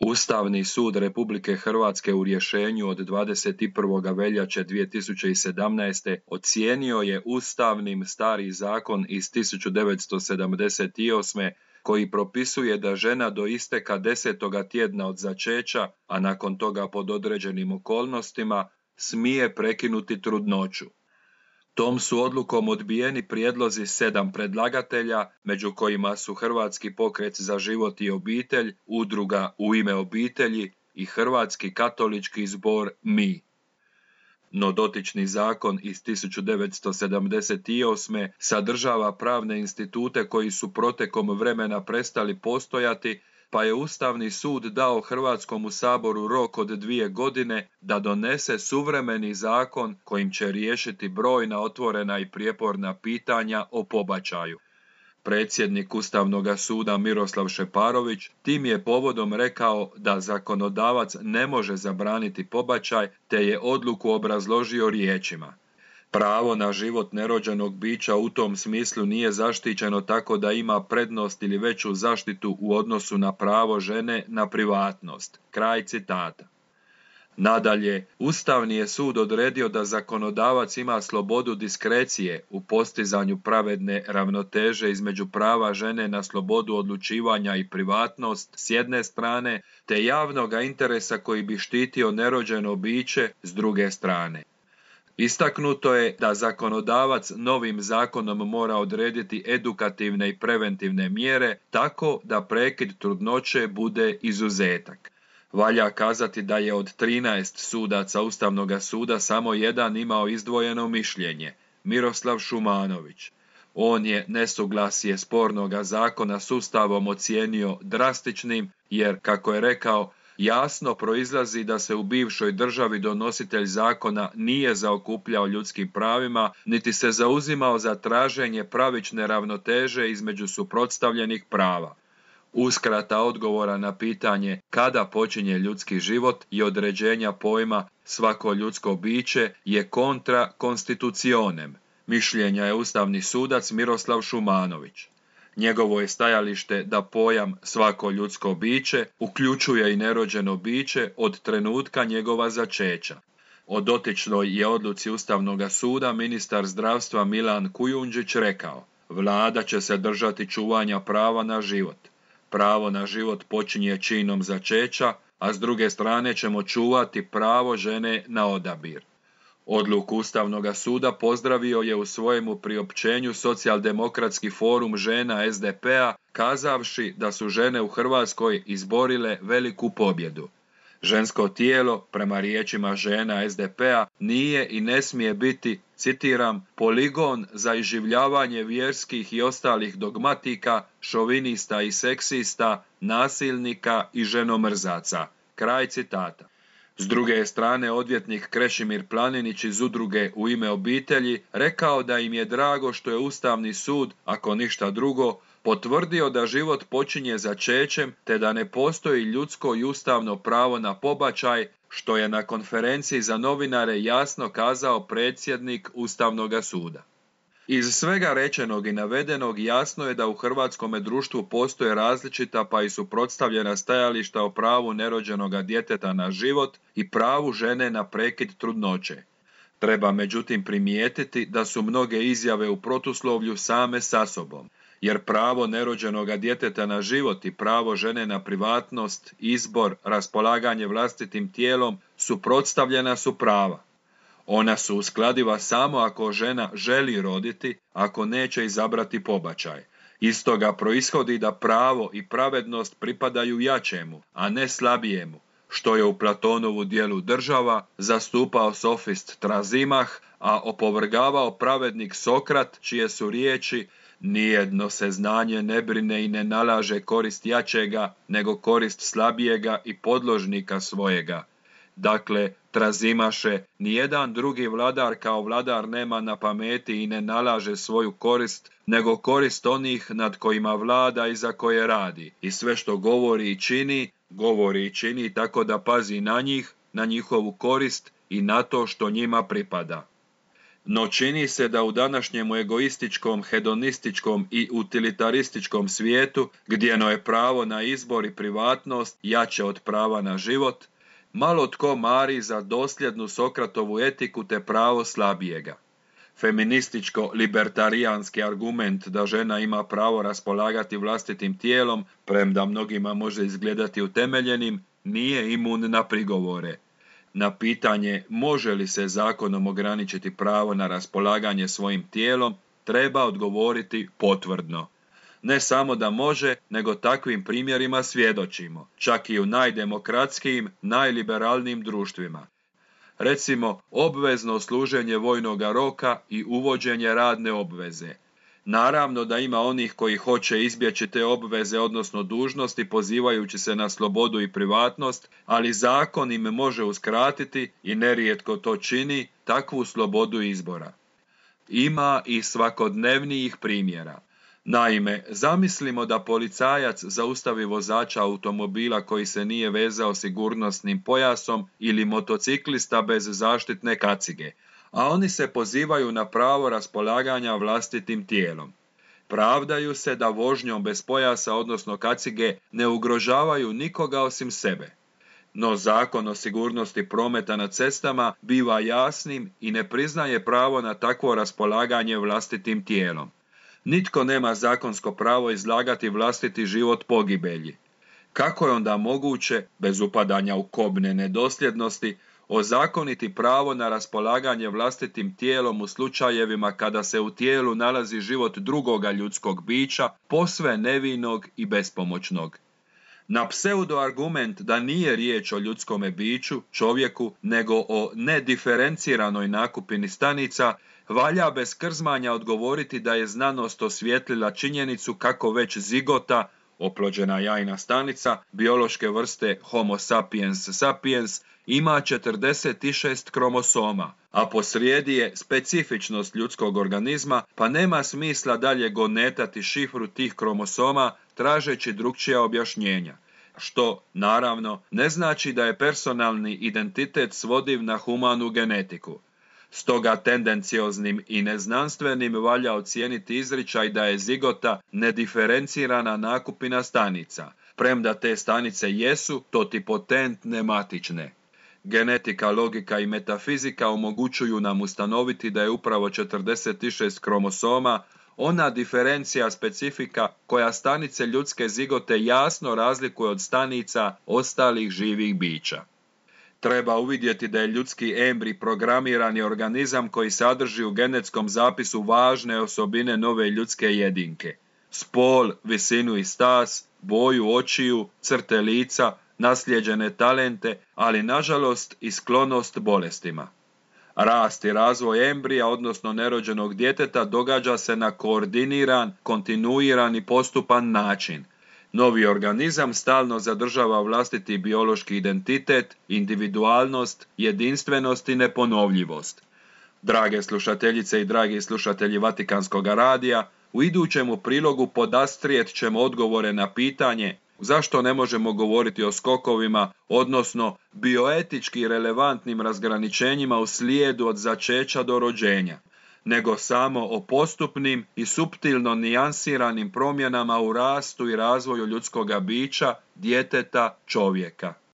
Ustavni sud Republike Hrvatske u rješenju od 21. veljače 2017. ocijenio je ustavnim stari zakon iz 1978. koji propisuje da žena do isteka 10. tjedna od začeća, a nakon toga pod određenim okolnostima, smije prekinuti trudnoću. Tom su odlukom odbijeni prijedlozi 7 predlagatelja, među kojima su Hrvatski pokret za život i obitelj, Udruga U ime obitelji i Hrvatski katolički zbor Mi. No dotični zakon iz 1978. sadržava pravne institute koji su protekom vremena prestali postojati, pa je Ustavni sud dao Hrvatskom saboru rok od 2 godine da donese suvremeni zakon kojim će riješiti brojna otvorena i prijeporna pitanja o pobačaju. Predsjednik Ustavnog suda Miroslav Šeparović tim je povodom rekao da zakonodavac ne može zabraniti pobačaj, te je odluku obrazložio riječima: pravo na život nerođenog bića u tom smislu nije zaštićeno tako da ima prednost ili veću zaštitu u odnosu na pravo žene na privatnost. Kraj citata. Nadalje, Ustavni je sud odredio da zakonodavac ima slobodu diskrecije u postizanju pravedne ravnoteže između prava žene na slobodu odlučivanja i privatnost s jedne strane, te javnoga interesa koji bi štitio nerođeno biće s druge strane. Istaknuto je da zakonodavac novim zakonom mora odrediti edukativne i preventivne mjere tako da prekid trudnoće bude izuzetak. Valja kazati da je od 13 sudaca Ustavnog suda samo jedan imao izdvojeno mišljenje, Miroslav Šumanović. On je nesuglasje spornoga zakona s Ustavom ocijenio drastičnim jer, kako je rekao, jasno proizlazi da se u bivšoj državi donositelj zakona nije zaokupljao ljudskim pravima, niti se zauzimao za traženje pravične ravnoteže između suprotstavljenih prava. Uskrata odgovora na pitanje kada počinje ljudski život i određenja pojma svako ljudsko biće je kontra constitutionem. Mišljenja je ustavni sudac Miroslav Šumanović. Njegovo je stajalište da pojam svako ljudsko biće uključuje i nerođeno biće od trenutka njegova začeća. O dotičnoj je odluci Ustavnog suda ministar zdravstva Milan Kujundžić rekao: Vlada će se držati čuvanja prava na život. Pravo na život počinje činom začeća, a s druge strane ćemo čuvati pravo žene na odabir. Odluku Ustavnog suda pozdravio je u svojemu priopćenju Socijaldemokratski forum žena SDP-a, kazavši da su žene u Hrvatskoj izborile veliku pobjedu. Žensko tijelo, prema riječima žena SDP-a, nije i ne smije biti, citiram, poligon za iživljavanje vjerskih i ostalih dogmatika, šovinista i seksista, nasilnika i ženomrzaca. Kraj citata. S druge strane, odvjetnik Krešimir Planinić iz Udruge U ime obitelji rekao da im je drago što je Ustavni sud, ako ništa drugo, potvrdio da život počinje začećem te da ne postoji ljudsko i ustavno pravo na pobačaj, što je na konferenciji za novinare jasno kazao predsjednik Ustavnog suda. Iz svega rečenog i navedenog jasno je da u hrvatskome društvu postoje različita pa i suprotstavljena stajališta o pravu nerođenoga djeteta na život i pravu žene na prekid trudnoće. Treba međutim primijetiti da su mnoge izjave u protuslovlju same sa sobom, jer pravo nerođenoga djeteta na život i pravo žene na privatnost, izbor, raspolaganje vlastitim tijelom suprotstavljena su prava. Ona su uskladiva samo ako žena želi roditi, ako neće izabrati pobačaj. Iz toga proishodi da pravo i pravednost pripadaju jačemu, a ne slabijemu, što je u Platonovu djelu Država zastupao sofist Trazimah, a opovrgavao pravednik Sokrat, čije su riječi: nijedno se znanje ne brine i ne nalaže korist jačega, nego korist slabijega i podložnika svojega. Dakle, Trazimaše, nijedan drugi vladar kao vladar nema na pameti i ne nalaže svoju korist, nego korist onih nad kojima vlada i za koje radi. I sve što govori i čini tako da pazi na njih, na njihovu korist i na to što njima pripada. No čini se da u današnjem egoističkom, hedonističkom i utilitarističkom svijetu, gdjeno je pravo na izbor i privatnost jače od prava na život, malo tko mari za dosljednu Sokratovu etiku te pravo slabijega. Feminističko-libertarijanski argument da žena ima pravo raspolagati vlastitim tijelom, premda mnogima može izgledati utemeljenim, nije imun na prigovore. Na pitanje može li se zakonom ograničiti pravo na raspolaganje svojim tijelom, treba odgovoriti potvrdno. Ne samo da može, nego takvim primjerima svjedočimo, čak i u najdemokratskijim, najliberalnijim društvima. Recimo, obvezno služenje vojnoga roka i uvođenje radne obveze. Naravno da ima onih koji hoće izbjeći te obveze, odnosno dužnosti, pozivajući se na slobodu i privatnost, ali zakon im može uskratiti, i nerijetko to čini, takvu slobodu izbora. Ima i svakodnevnijih primjera. Naime, zamislimo da policajac zaustavi vozača automobila koji se nije vezao sigurnosnim pojasom ili motociklista bez zaštitne kacige, a oni se pozivaju na pravo raspolaganja vlastitim tijelom. Pravdaju se da vožnjom bez pojasa, odnosno kacige, ne ugrožavaju nikoga osim sebe. No Zakon o sigurnosti prometa na cestama biva jasnim i ne priznaje pravo na takvo raspolaganje vlastitim tijelom. Nitko nema zakonsko pravo izlagati vlastiti život pogibelji. Kako je onda moguće, bez upadanja u kobne nedosljednosti, ozakoniti pravo na raspolaganje vlastitim tijelom u slučajevima kada se u tijelu nalazi život drugoga ljudskog bića, posve nevinog i bespomoćnog? Na pseudoargument da nije riječ o ljudskome biću, čovjeku, nego o nediferenciranoj nakupini stanica, valja bez krzmanja odgovoriti da je znanost osvijetlila činjenicu kako već zigota, oplođena jajna stanica, biološke vrste Homo sapiens sapiens, ima 46 kromosoma, a posrijedi je specifičnost ljudskog organizma, pa nema smisla dalje gonetati šifru tih kromosoma tražeći drukčija objašnjenja, što, naravno, ne znači da je personalni identitet svodiv na humanu genetiku. Stoga tendencioznim i neznanstvenim valja ocijeniti izričaj da je zigota nediferencirana nakupina stanica, premda te stanice jesu totipotentne matične. Genetika, logika i metafizika omogućuju nam ustanoviti da je upravo 46 kromosoma ona diferencija specifika koja stanice ljudske zigote jasno razlikuje od stanica ostalih živih bića. Treba uvidjeti da je ljudski embrij programirani organizam koji sadrži u genetskom zapisu važne osobine nove ljudske jedinke. Spol, visinu i stas, boju očiju, crte lica, naslijeđene talente, ali nažalost i sklonost bolestima. Rast i razvoj embrija, odnosno nerođenog djeteta, događa se na koordiniran, kontinuiran i postupan način. Novi organizam stalno zadržava vlastiti biološki identitet, individualnost, jedinstvenost i neponovljivost. Drage slušateljice i dragi slušatelji Vatikanskog radija, u idućemu prilogu podastrijet ćemo odgovore na pitanje zašto ne možemo govoriti o skokovima, odnosno bioetički relevantnim razgraničenjima u slijedu od začeća do rođenja, nego samo o postupnim i suptilno nijansiranim promjenama u rastu i razvoju ljudskoga bića, djeteta, čovjeka.